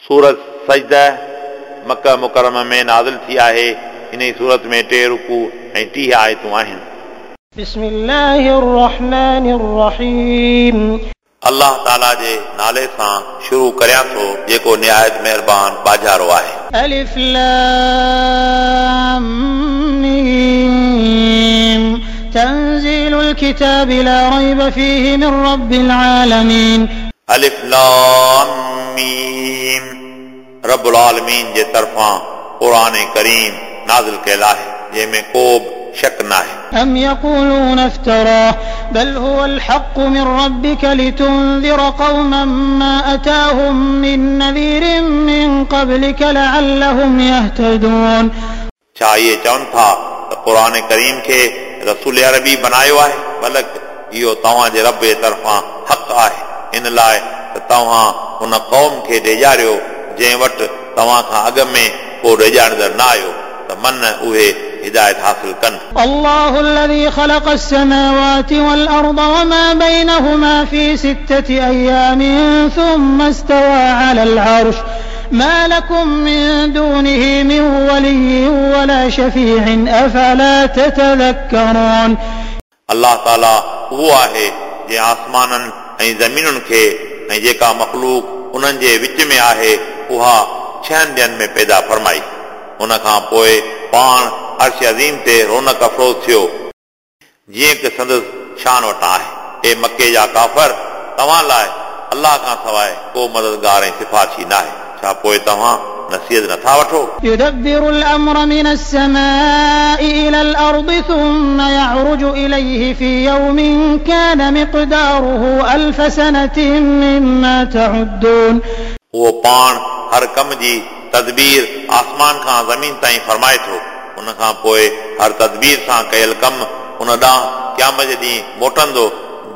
सूरत सजदा मक्का मुकर्रमा में नाज़िल थी आहे। इन सूरत में 3 रुकू ऐं 30 आयतूं आहिनि। बिस्मिल्लाहिर रहमानिर रहीम। अल्लाह ताला जे नाले सां शुरू करियां थो जेको निहायत महिरबान बाजारो आहे। अलिफ लाम मीम तंज़ीलुल किताब ला रैब फीहि मिन रब्बिल आलमीन। अलिफ लाम मीम रब्बुल आलमीन जे तरफ़ां क़ुरान करीम नाज़िल कयल आहे जंहिंमें को बि शक न आहे। अम यक़ूलून इफ्तराह बल हुवल हक़्क़ु मिन रब्बिक लितुंज़िर क़ौमन मा अताहुम मिन नज़ीरिन मिन क़ब्लिक लअल्लहुम यहतदून। छा इहे चवनि था त क़ुरान करीम खे रसूल अरबी बनायो आहे? बल्कि इहो तव्हांजे रब जे तरफ़ां हक़ आहे, इन लाइ त तव्हां उन क़ौम खे ॾेजारियो जंहिं वटि तव्हां खां अॻु में को ॾेजारींदड़ न आयो, त मन उहे हिदायत हासिल कनि। अल्लाहु अल्लज़ी ख़लक़ अस्समावाति वल अर्द वमा बैनहुमा फ़ी सित्तति अय्यामिन थुम्मा इस्तवा अलल अर्श मा लकुम मिन दूनिही मिन वलिय्यिन वला शफ़ीइन अफ़ला ततज़क्करून। अल्लाह ताला उहो आहे जंहिं आसमाननि ऐं ज़मीनुनि खे ऐं जेका मख़लूक उन्हनि जे विच में आहे उहा 6 ॾींहंनि में पैदा फरमाई। उन खां पोइ पाण अर्श अज़ीम ते रौनक अफ़रोज़ थियो, जीअं की संदसि शान वटां आहे। ए मक्के जा काफ़र, तव्हां लाइ अल्लाह खां सवाइ को मददगार ऐं सिफारिशी न आहे। छा पोइ तव्हां नसीहत नथा वठो? युदब्बिरुल अम्र मिनस समाइ इलल अर्दि थुम्मा यअरुजु इलैहि फी यौमिन कान मिक़दारुहु अल्फ सनतिन मिम्मा तउद्दून। उहो पाण हर कम जी तदबीर आसमान खां ज़मीन ताईं फरमाए थो। उन खां पोइ हर तदबीर सां कयल कम उन ॾांहुं क़यामत जे ॾींहुं मोटंदो,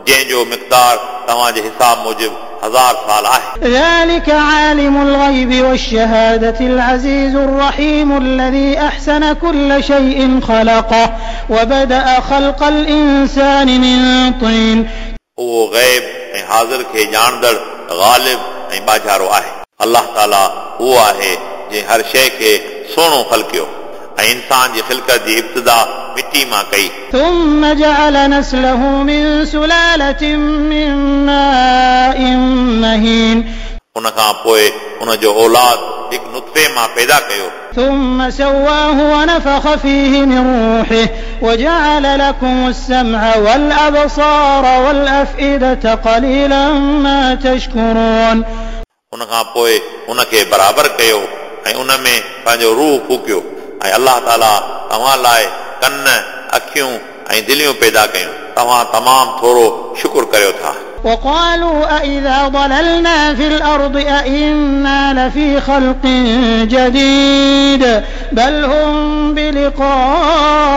जंहिंजो मिक़दार तव्हांजे हिसाब मूजिबि 1000 साल आहे। ذلك عالم الغيب والشهادة العزيز الرحيم الذي أحسن كل شيء خلقه وبدأ خلق الإنسان من طين। उहो ग़ैब ऐं हाज़िर खे ॼाणंदड़ ग़ालिब ऐं बाजारो आहे। अल्लाह ताला उहो आहे जंहिं हर शइ खे सुहिणो ख़लकियो ऐं इंसान जी ख़िलकत जी इब्तिदा मिटी मां कई। ثم جعل نسله من سلالة من ماء مهين। उन खां पोइ उन जो औलाद हिकु नुत्फ़े मां पैदा कयो। ثم سواه ونفخ فيه من روحه وجعل لكم السمع والأبصار والأفئدة قليلا ما تشكرون। उन खां पोइ उनखे बराबरि कयो ऐं उन में पंहिंजो रूह फूकियो ऐं अल्लाह ताला तव्हां लाइ कन, अखियूं ऐं दिलियूं पैदा कयूं। तव्हां तमामु थोरो शुक्र करियो था। وقالوا أإذا ضللنا في الأرض أإنا لفي خلق جديد بل هم بلقاء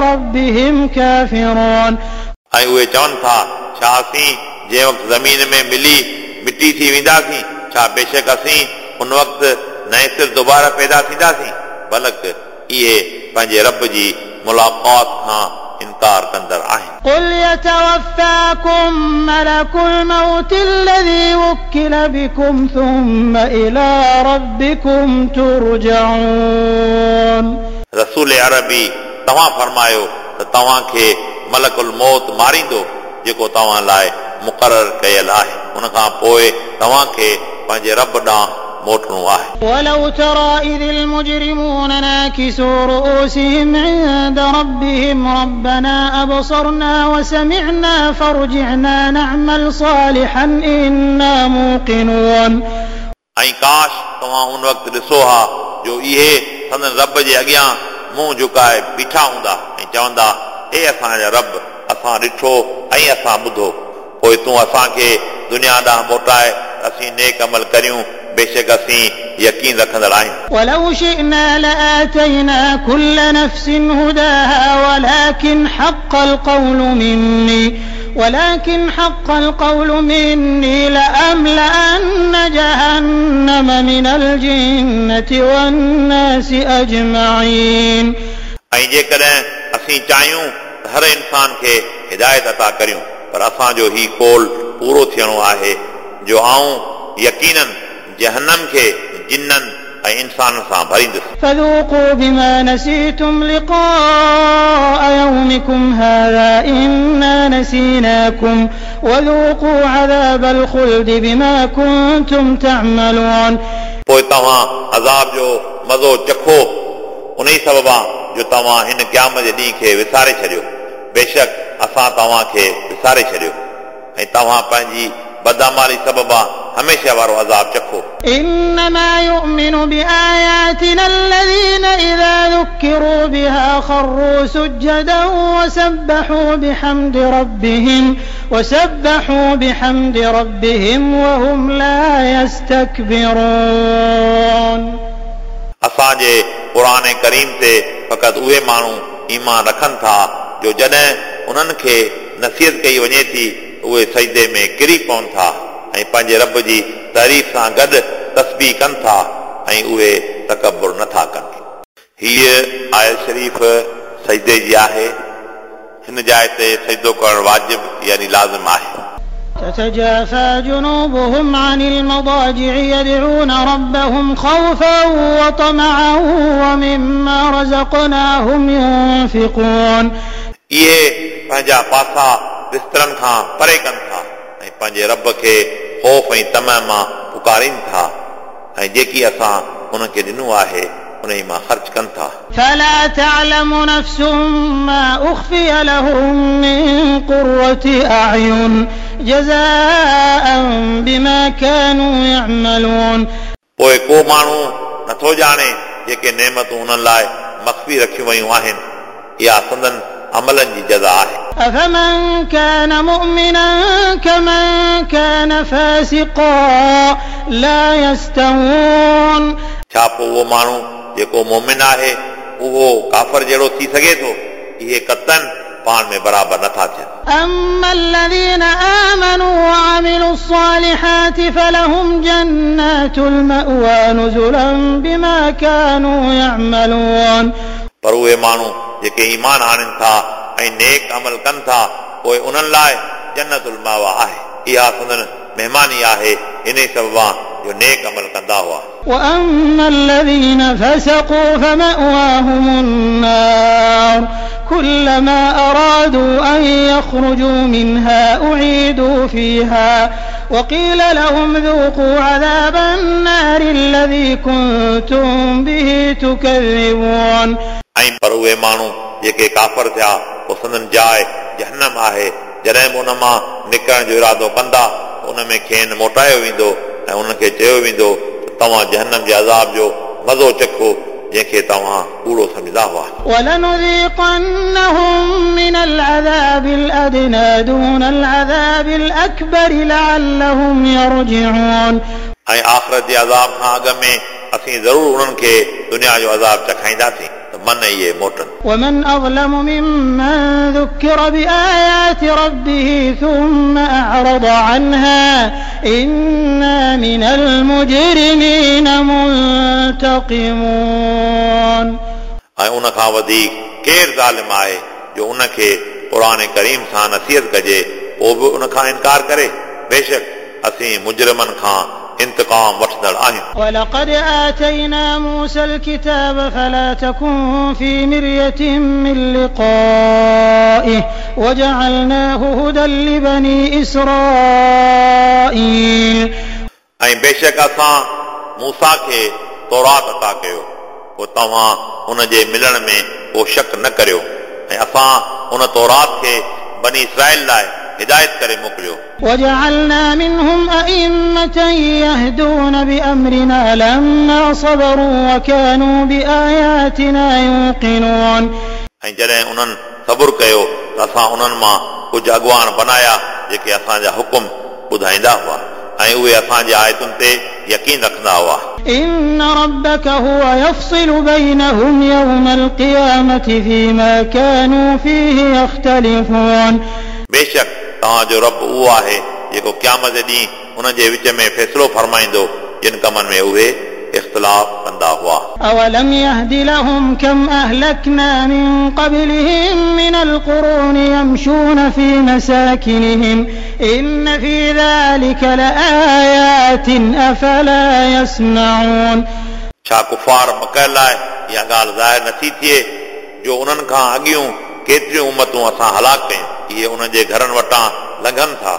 ربهم كافرون। ऐं उहे चवनि था, छा असीं जंहिं वक़्तु ज़मीन में मिली मिटी थी वेंदासीं, छा बेशक असीं उन वक़्तु नए सिर दोबारा पैदा थींदासीं? बल्कि इहे पंहिंजे रब जी मुलाक़ात खां इनकार कंदड़ आहिनि। कुल यतवफ़्फ़ाकुम मलकुल मौत अल्लज़ी वुक्किल बिकुम थुम्मा इला रब्बिकुम तुरजऊन। रसूल अरबी तव्हां फरमायो त तव्हांखे मलकुल मौत मारींदो जेको तव्हां लाइ मुक़ररु कयल आहे, उन खां पोइ तव्हांखे पंहिंजे रब ॾांहुं मोटणो आहे। ولو ترى إذ المجرمون ناكسوا رؤوسهم عند ربهم ربنا أبصرنا وسمعنا فارجعنا نعمل صالحا إنا موقنون। ऐं काश तव्हां उन वक़्तु ॾिसो हा जो इहे संदन रब जे अॻियां मुंहुं झुकाए बीठा हूंदा ऐं चवंदा, ए असांजा रब, असां ॾिठो ऐं असां ॿुधो, पोइ तूं असांखे दुनिया ॾांहुं मोटाए असीं नेक अमल करियूं, बेशक असीं यकीन रखंदड़ आहियूं। ولو شئنا لآتينا كل نفس هداها ولكن حق القول مني لأملأن جهنم من الجنة والناس أجمعين। ऐं जेकॾहिं असीं चाहियूं त हर इंसान खे हिदायत अता करियूं, पर असांजो ही कोल पूरो थियणो आहे जो आऊं यकीनन जहन्नम खे जिन्ननि ऐं इंसाननि सां भरींदुसि। فذوقوا بما نسيتم لقاء يومكم هذا إنا نسيناكم وذوقوا عذاب الخلد بما كنتم تعملون। पोइ तव्हां अज़ाब जो मज़ो चखो उन ई सबबा जो तव्हां हिन क़याम जे ॾींहं खे विसारे छॾियो। बेशक असां तव्हां खे विसारे छॾियो ऐं तव्हां पंहिंजी बदअमाली सबबा हमेशह वारो अज़ाब चखो। إنما يؤمن بآياتنا الذين إذا ذكروا بها خروا سجدا وسبحوا بحمد ربهم وهم لا يستكبرون। असांजे क़ुर करीम ते फ़क़ति उहे माण्हू ईमान रखनि था जो जॾहिं उन्हनि खे नसीहत कई वञे थी उहे सजदे में किरी पवनि था ऐं पंहिंजे रब जी तारीफ़ सां गॾु तस्बीह कनि था ऐं उहे तकबुर नथा कनि। हीअ आयत शरीफ़ सजदे जी आहे। हिन जाइ ते सजदो करणु वाजिब यानी लाज़िम आहे। تتجافى جنوبهم عن المضاجع يدعون ربهم خوفا وطمعا ومما رزقناهم ينفقون। इहे पंहिंजा पासा बिस्तरनि खां परे कनि था ऐं पंहिंजे रब खे ख़ौफ़ ऐं तम मां पुकारनि था ऐं जेकी असां उन्हनि खे ॾिनो आहे उन मां ख़र्च कनि था। فلا تعلم نفس ما أخفي لهم من قرة أعين جزاء بما كانوا يعملون। पोइ को माण्हू नथो ॼाणे जेके नेमतूं उन्हनि लाइ मख़फ़ी रखियूं वयूं आहिनि, इहा संदन अमलनि जी जज़ा आहे। أفمن كان مؤمنا كمن كان فاسقا لا يستوون। छा पोइ उहो माण्हू जेको मोमिन आहे उहो काफ़र जहिड़ो थी सघे थो? इहे कतन पाण में बराबरि नथा थियनि। أما الذين آمنوا وعملوا الصالحات فلهم جنات المأوى نزلا بما كانوا يعملون। पर उहे माण्हू जेके ईमान आणनि था ऐं नेक अमल कनि था पोइ उन्हनि लाइ जन्नतुल मावा आहे। इहा संदन महिमानी आहे इन ई सबबा जो नेक अमल कंदा हुआ। وأما الذين فسقوا فمأواهم النار كلما أرادوا أن يخرجوا منها أعيدوا فيها وقيل لهم ذوقوا عذاب النار الذي كنتم به تكذبون। ऐं पर उहे माण्हू जेके काफ़र थिया पोइ संदन जाइ जहन्नम आहे। जॾहिं बि उन मां निकिरण जो इरादो कंदा उन में खेनि मोटायो वेंदो ऐं उन्हनि खे चयो वेंदो त तव्हां जहन्नम जे अज़ाब जो मज़ो चखो जंहिंखे तव्हां कूड़ो सम्झंदा हुआ। ولنذيقنهم من العذاب الأدنى دون العذاب الأكبر لعلهم يرجعون। ऐं आख़िरत जे अज़ाब खां अॻु में असीं ज़रूरु उन्हनि खे दुनिया जो अज़ाब चखाईंदासीं त मन इहे मोटनि। ومن أظلم ممن ذكر بآيات ربه ثم أعرض عنها إنا من المجرمين منتقمون। ऐं उन खां वधीक केरु ज़ालिम आहे जो उनखे क़ुर करीम सां नसीहत कजे पोइ बि उन खां इनकार करे? बेशक असीं मुजरिमनि खां इंतिकाम वठंदड़ आहियूं। ولقد آتينا موسى الكتاب فلا تكن في مرية من لقائه وجعلناه هدى لبني إسرائيل। ऐं बेशक असां मूसा खे तौरात अता कयो पोइ तव्हां उन जे मिलण में को शक न करियो ऐं असां उन तौरात खे बनी इसराइल लाइ हिदायत करे मोकिलियो। وجعلنا منهم أئمة يهدون بأمرنا لما صبروا وكانوا بآياتنا يوقنون। ऐं जॾहिं उन्हनि सब्र कयो त असां उन्हनि मां कुझु अॻुवान बनाया जेके असांजा हुकुम ॿुधाईंदा हुआ ऐं उहे असांजे आयतुनि ते यकीन रखंदा हुआ। إن ربك هو يفصل بينهم يوم القيامة فيما كانوا فيه يختلفون। बेशक तव्हांजो रब उहो आहे जेको क़यामत जे ॾींहुं उन्हनि जे विच में फ़ैसिलो फरमाईंदो जिन कमनि में उहे इख़्तिलाफ़ कंदा हुआ। أولم يهد لهم كم أهلكنا من قبلهم من القرون يمشون في مساكنهم إن في ذلك لآيات أفلا يسمعون। छा कुफार मक लाइ इहा ॻाल्हि ज़ाहिर नथी थिए जो उन्हनि खां अॻियूं केतिरियूं उमतूं असां हलाक कयूं, इहे उन्हनि जे घरनि वटां लंघनि था,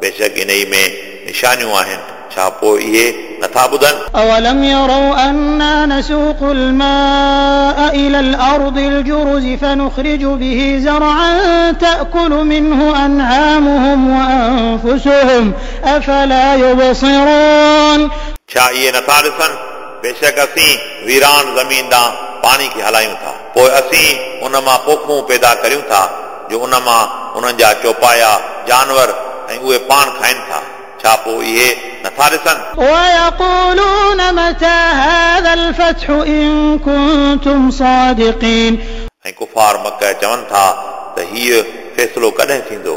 बेशक इन में निशानियूं आहिनि, छा पोइ इहे नथा ॿुधनि? أولم يروا أنا نسوق الماء إلى الأرض الجرز فنخرج به زرعا تأكل منه أنعامهم وأنفسهم أفلا يبصرون। छा इहे नथा ॾिसनि? बेशक असीं वीरान ज़मीन ॾांहुं पाणी खे हलायूं था, पोइ असीं उन मां पोखूं पैदा करियूं था जो उन मां उन्हनि जा चौपाया जानवर ऐं उहे पाण खाइनि था, छा पोइ इहे नथा ॾिसनि? ويقولون متى هذا الفتح إن كنتم صادقين। ऐं कुफार मक चवनि था त हीउ फ़ैसिलो कॾहिं थींदो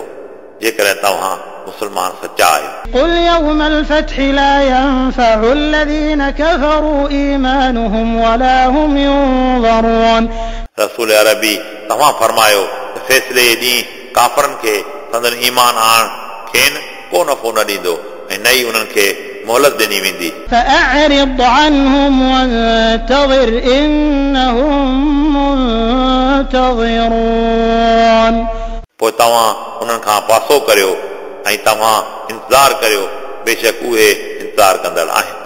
जेकॾहिं तव्हां मुस्लमान सचा आहियो। قل يوم الفتح لا ينفع الذين كفروا إيمانهم ولا هم ينظرون। रसूल अरबी तव्हां फरमायो त फ़ैसिले जे ॾींहुं काफ़रनि खे संदन ईमान आणण खेनि को नफ़ो न ॾींदो ऐं न ई उन्हनि खे मोहलत ॾिनी वेंदी। فأعرض عنهم وانتظر إنهم منتظرون। पोइ तव्हां उन्हनि खां पासो करियो ऐं तव्हां इंतज़ार करियो, बेशक उहे इंतज़ार कंदड़ आहिनि।